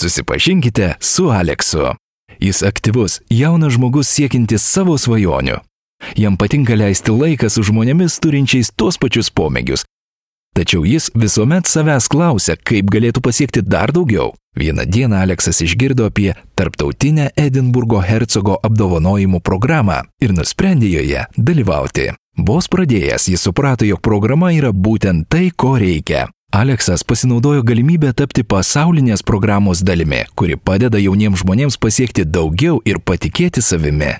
Susipažinkite su Aleksu. Jis aktyvus, jaunas žmogus siekintis savo svajonių. Jam patinka leisti laiką su žmonėmis turinčiais tuos pačius pomėgius. Tačiau jis visuomet savęs klausia, kaip galėtų pasiekti dar daugiau. Vieną dieną Aleksas išgirdo apie tarptautinę Edinburgo hercogo apdovanojimų programą ir nusprendė joje dalyvauti. Vos pradėjęs, jis suprato, jog programa yra būtent tai, ko reikia. Aleksas pasinaudojo galimybę tapti pasaulinės programos dalimi, kuri padeda jauniems žmonėms pasiekti daugiau ir patikėti savimi.